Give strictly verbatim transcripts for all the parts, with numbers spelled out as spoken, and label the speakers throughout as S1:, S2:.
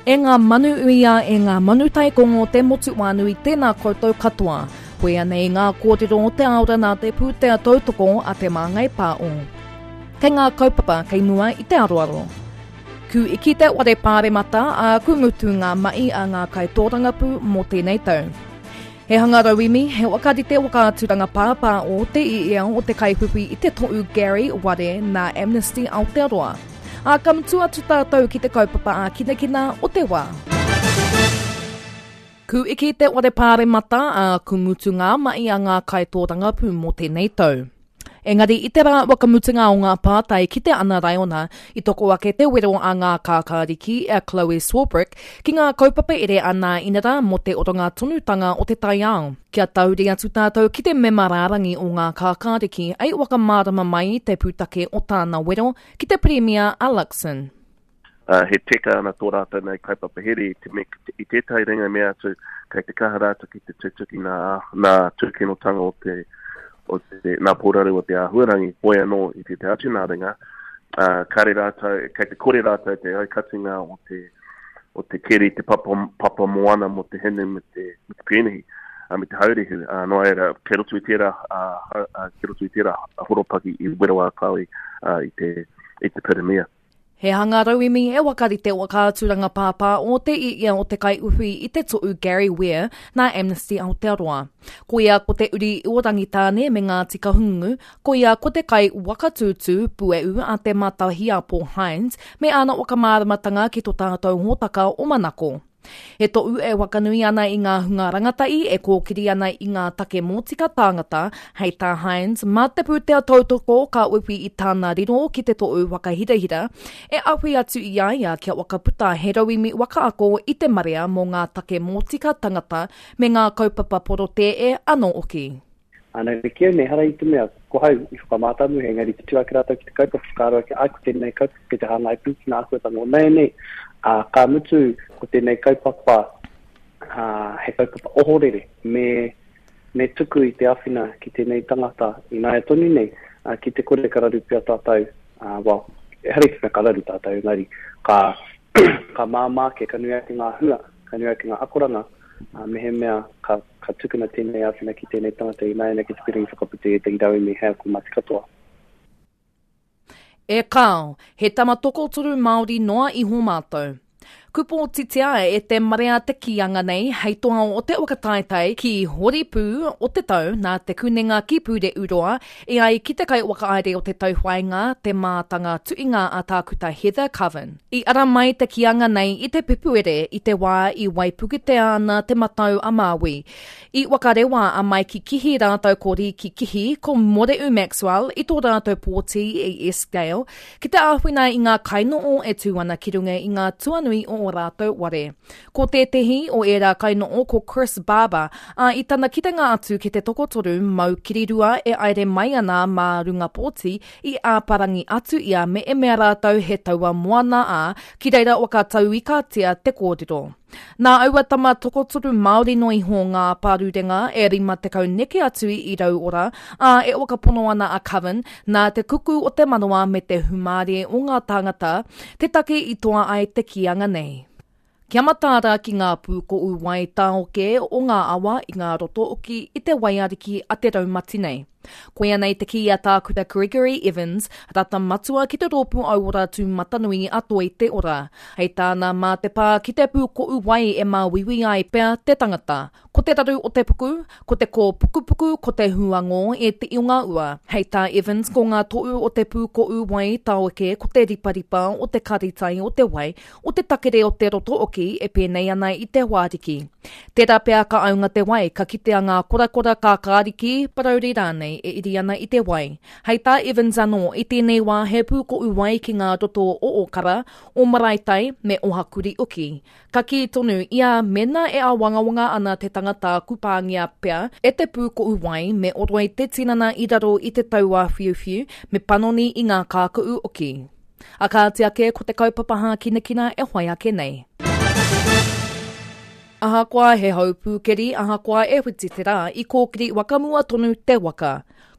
S1: E ngā manu uia, e ngā manu taikongo te motu wānui, tēnā koutou katoa. Koia nei ngā kōrero o te aora nā te pūtea tautoko a Te Māngai Pāo. Kei ngā kaupapa kei mua i te aroaro. Ku iki te ware pāremata a ku mutu ngā mahi a ngā kaitōrangapū mō tēnei tau. He hanga rauemi, he wakarite whakaaturanga pāpā o te iea o te kaiwhiwhi i te tohu Gary Ware nā Amnesty Aotearoa. Ā, ka mutu atu tātou ki te kaupapa ā-kinakina o te wā. Ku iki te ware pāremata a ku mutu ngā mahi a ngā kaitōrangapū mō tēnei tau. Engari i te rā whakamutunga o ngā pātai ki te ana raiona, i toko ake te wero a ngā kākāriki a Chloe Swarbrick ki ngā kaupapa ere a nā inara mō te oranga tonutanga o te taiao. Kia tauri atu tātou ki te mema rārangi o ngā kākāriki ei whakamārama mai te pūtake o tāna wero ki te Pirimia a Luxon.
S2: Uh, he teka ana tō rātou nei kaupapa here i, te me, i tētahi ringa mea atu kei te kaha rātou ki te tutuki nā, nā tūkinotanga o te, o te, nā pōraru o te āhuarangi, hoi anō i te te atu nā ringa, uh, kare rātou, kei te kore rātou te aukatinga o te, o te keri, te papa, papa moana mō te hinu me te, me te pēnihi, uh, me te haurehu. Uh, nō reira, kei roto i tērā, uh, uh, kei roto i tērā horopaki i wero a Chloe uh, i te, i te pirimia.
S1: He hanga rauemi e wakarite whakaaturanga pāpā o te iea o te kaiuwhi i te tohu Gary Ware nā Amnesty Aotearoa. Koia ko te uri o Rangitāne me Ngāti Kahungunu, koia ko te kai wakatūtū pueu a te Mātahiapo Hines me āna whakamāramatanga ki tō tātou hōtaka o Manako. He tohu e wakanui ana i ngā hunga rangatahi e kōkiri ana i ngā take mōtika tāngata, hei tā Hines, mā te pūtea tautoko ka uwhi i tāna riro ki te tohu whakahirahira, e awhi atu i a ia kia whakaputa he rauemi whakaako i te marea mō ngā take mōtika tangata me ngā kaupapa porotēe anō hoki.
S3: Ana te kia nei hara i te mea, ko hau i whakamātamu, engari te tū ake rātou ki te kaupapa whakaaro ake, ai ko tēnei kaupapa ki te hāngai pū ki ngā āhuatanga o nei nei. Ā, ka mutu ko tēnei kaupapa, ā, he kaupapa ohorere, me, me tuku i te awhina ki tēnei tangata i naia tonu nei, ā, ki te kore ka raru pea tātou, ā, well, ehara i te mea ka raru tātou, engari ka, ka māmā ake, ka nui ake ngā hua, ka nui ake ngā akoranga, ā, mehemea ka, ka tukuna tēnei āwhina ki tēnei tangata i nāianei ki te piringi whakaputa i ētahi rauemi hei ako mā te katoa.
S1: E kāo, he tama tokotoru Māori noa iho mātou. Kupōtitia e te marea te kīanga nei hei toa o te whakataetae ki Horipū o te tau nā te kunenga ki Pūrehuroa e ai ki te kaiwhakahaere o te tauwhāinga te mātanga tuinga a Tākuta Heather Coven. I ara mai te kīanga nei i te Pepuere i te wā i waipuketea ana te matau a Māui. I whakarewa a Maiki Kihi rātou ko Riki Kihi, ko Moreu Maxwell i tō rātou pōti i Eskdale ki te āwhina i ngā kainoo e tū ana ki runga i ngā tuanui o o rātou ware. Ko tētehi o ērā kainoo ko Chris Barber, ā, i tana kitenga atu ki te tokotoru mau kirirua e aere mai ana mā runga pōti i āparangi atu ia me e mea rātou he taua moana ā, ki reira whakatauikatia te kōrero. Nā aua tama tokotoru Māori no iho ngā pārurenga e rima tekau neke atu i rauora, ā, e whakapono ana a Coven, nā te kuku o te manawa me te humārie o ngā tāngata, te take i toa ai te kīanga nei. Kia mataara ki ngā pūkoʻu wai tāoke o ngā awa i ngā roto oki i te waiariki a te raumati nei. Koia nei te kī a Tākuta Gregory Evans, rata matua ki te rōpū auora tūmatanui a Toi Te Ora. Hei tāna mā te pā ki te pūkoʻu wai e māuiui ai pea te tangata. Ko te raru o te puku, ko te kōpukupuku, ko te huangō e te ionga ua. Hei tā Evans, ko ngā toʻu o te pūkoʻu wai tāoke, ko te riparipa o te karitai o te wai, o te takere o te roto oki e pēnei ana i te wāriki. Tērā pea ka aunga te wai, ka kitea ngā korakora kākāriki, parauri rānei e iri ana i te wai. Hei tā Evans anō, i tēnei wā he pūkoʻu wai ki ngā roto o Okara, o Maraetai me Ohakuri uki. Ka kī tonu ia mena e āwangawanga ana te tangata kupāngia pea e te pūkoʻu wai me oroi te tinana i raro i te tauāwhiuwhiu me panoni i ngā kākuʻu oki. A kāti ake ko te kaupapa hākinakina e whai ake nei. Ahakoa he hau pūkeri, ahakoa e whiti te rā, i kōkiri wakamua tonu te waka.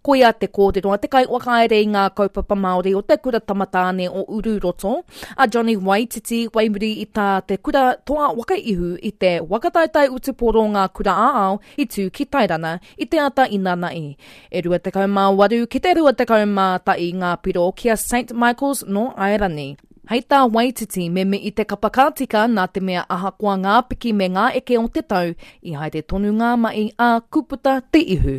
S1: Koia te kōrero a te kaiwhakahaere i ngā kaupapa Māori o te Kura Tamatāne o Ururoto, a Johnny Waititi, waimuri i tā te kura toa waka ihu i te whakataetae utupōro ngā kura ā-ao i tū ki Tairana i te ata inanahi. E rua tekau mā waru ki te rua tekau mā tahi ngā piro ki a Saint Michaels nō Airani. Hei tā Waititi, me mihi te kapa ka tika nā te mea ahakoa ngā piki me ngā eke o te tau, i haere tonu ngā mahi ā kuputa te ihu.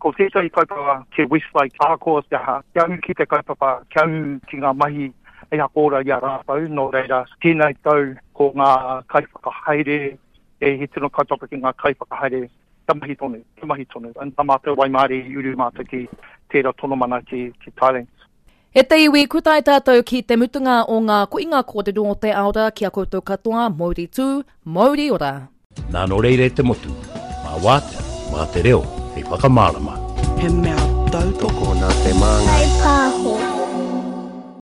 S4: Ko tētahi kaupapa ki Westlake, ahakoa te aha, kia ū ki te kaupapa, kia ū ki ngā mahi hei hakaora i a rātou, nō reira, tēnei tau ko ngā kaiwhakahaere, e he tino kaupapa ki ngā kaiwhakahaere, kia mahi tonu, kia mahi tonu. And tā mātou waimārie i uru mātou ki tērā tonomana ki, ki Thailand.
S1: E te iwi, ku tae tātou ki te mutunga o ngā koinga kōrero o te aora ki a koutou katoa, mauri tū, mauri ora.
S5: Nā nō reira e te motu, mā wātea, mā te reo, hei whakamārama.
S6: He mea tautoko
S7: Tokona te māngai.
S8: Pāho.